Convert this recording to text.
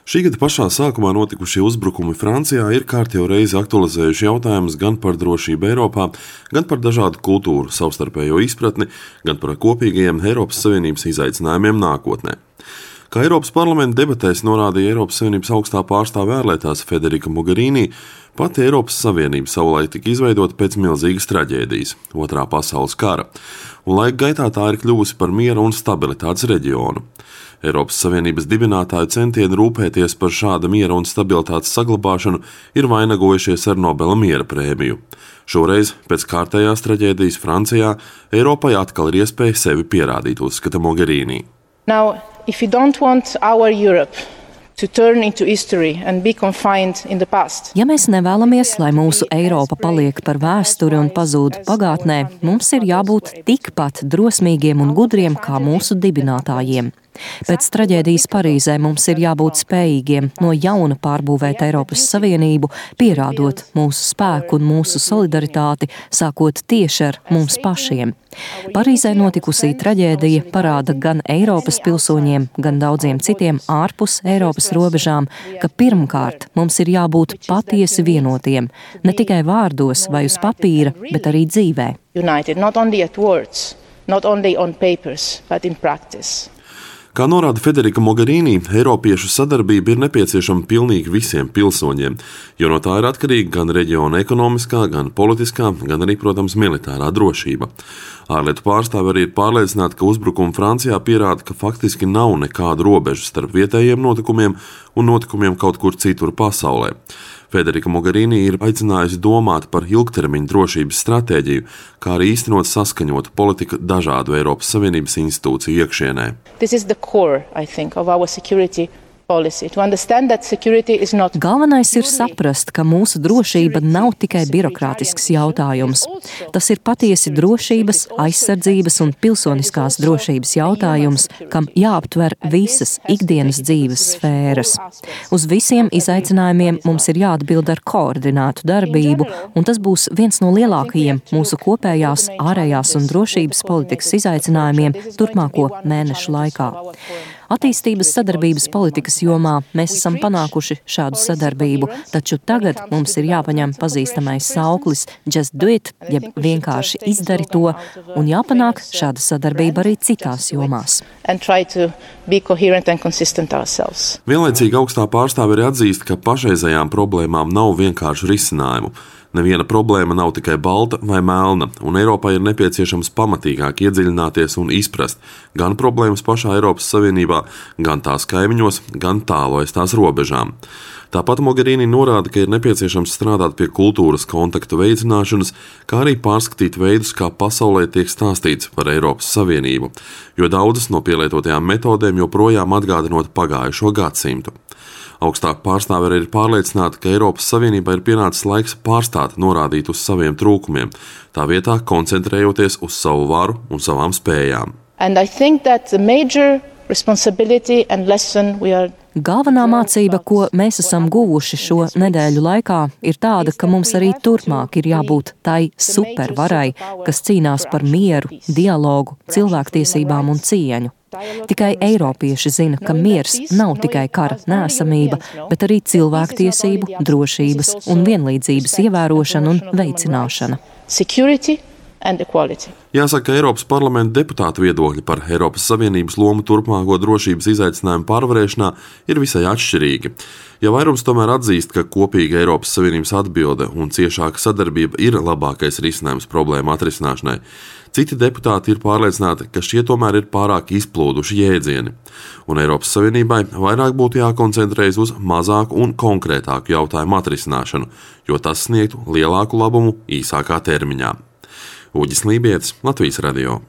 Šī gada pašā sākumā notikušie uzbrukumi Francijā ir kārtējo reizi aktualizējuši jautājumus gan par drošību Eiropā, gan par dažādu kultūru savstarpējo izpratni, gan par kopīgajiem Eiropas Savienības izaicinājumiem nākotnē. Kā Eiropas parlamenta debatēs norādīja Eiropas Savienības augstā pārstāve ārlietās Federica Mogherini, pati Eiropas Savienība savulaik tika izveidota pēc milzīgas traģēdijas – Otrā pasaules kara, un laika gaitā tā ir kļuvusi par miera un stabilitātes reģionu. Eiropas Savienības dibinātāju centieni rūpēties par šāda miera un stabilitātes saglabāšanu ir vainagojušies ar Nobela miera prēmiju. Šoreiz, pēc kārtējās traģēdijas Francijā, Eiropai atkal ir iespēja sevi pierādīt, uzskata Mogherini. Now, if you don't want our Europe to turn into history and be confined in the past. Ja mēs nevēlamies, lai mūsu Eiropa paliek par vēsturi un pazūd pagātnē, mums ir jābūt tikpat drosmīgiem un gudriem kā mūsu dibinātājiem. Pēc traģēdijas Parīzē mums ir jābūt spējīgiem no jauna pārbūvēt Eiropas Savienību, pierādot mūsu spēku un mūsu solidaritāti, sākot tieši ar mums pašiem. Parīzē notikusī traģēdija parāda gan Eiropas pilsoņiem, gan daudziem citiem ārpus Eiropas robežām, ka pirmkārt mums ir jābūt patiesi vienotiem, ne tikai vārdos vai uz papīra, bet arī dzīvē. United, not only at words, not only on papers, but in practice. Kā norāda Federica Mogherini, Eiropiešu sadarbība ir nepieciešama pilnīgi visiem pilsoņiem, jo no tā ir atkarīga gan reģiona ekonomiskā, gan politiskā, gan arī, protams, militārā drošība. Ārlietu pārstāve arī ir pārliecināta, ka uzbrukumi Francijā pierāda, ka faktiski nav nekādu robežu starp vietējiem notikumiem un notikumiem kaut kur citur pasaulē. Federica Mogherini ir aicinājusi domāt par ilgtermiņa drošības stratēģiju, kā arī īstenot saskaņotu politiku dažādu Eiropas Savienības institūciju iekšienē. This is the core, I think, of our security policy. To understand that security is not... Galvenais ir saprast, ka mūsu drošība nav tikai birokrātisks jautājums. Tas ir patiesi drošības, aizsardzības un pilsoniskās drošības jautājums, kam jāaptver visas ikdienas dzīves sfēras. Uz visiem izaicinājumiem mums ir jāatbild ar koordinētu darbību, un tas būs viens no lielākajiem mūsu kopējās ārējās un drošības politikas izaicinājumiem turpmāko mēnešu laikā. Attīstības sadarbības politikas jomā mēs esam panākuši šādu sadarbību, taču tagad mums ir jāpaņem pazīstamais sauklis just do it, jeb vienkārši izdari to, un jāpanāk šāda sadarbība arī citās jomās. Vienlaicīgi augstā pārstāve arī atzīst, ka pašreizējām problēmām nav vienkāršu risinājumu. Neviena problēma nav tikai balta vai melna, un Eiropai ir nepieciešams pamatīgāk iedziļināties un izprast gan problēmas pašā Eiropas Savienībā, gan tās kaimiņos, gan tālu aiz tās robežām. Tāpat Mogherini norāda, ka ir nepieciešams strādāt pie kultūras kontaktu veicināšanas, kā arī pārskatīt veidus, kā pasaulē tiek stāstīts par Eiropas Savienību, jo daudzas no pielietotajām metodēm joprojām atgādinot pagājušo gadsimtu. Augstā pārstāve ir pārliecināta, ka Eiropas Savienībā ir pienācis laiks pārstāt norādīt uz saviem trūkumiem, tā vietā koncentrējoties uz savu varu un savām spējām. Galvenā mācība, ko mēs esam guvuši šo nedēļu laikā, ir tāda, ka mums arī turpmāk ir jābūt tai supervarai, kas cīnās par mieru, dialogu, cilvēktiesībām un cieņu. Tikai eiropieši zina, ka miers nav tikai kara neesamība, bet arī cilvēktiesību, drošības un vienlīdzības ievērošana un veicināšana. Jāsaka, ka Eiropas parlamenta deputātu viedokļi par Eiropas Savienības lomu turpmāko drošības izaicinājumu pārvarēšanā ir visai atšķirīgi. Ja vairums tomēr atzīst, ka kopīga Eiropas Savienības atbilde un ciešāka sadarbība ir labākais risinājums problēmu atrisināšanai, citi deputāti ir pārliecināti, ka šie tomēr ir pārāk izplūduši jēdzieni, un Eiropas Savienībai vairāk būtu jākoncentrējas uz mazāku un konkrētāku jautājumu atrisināšanu, jo tas sniegtu lielāku labumu īsākā termiņā. Uģis Lībietis, Latvijas radio.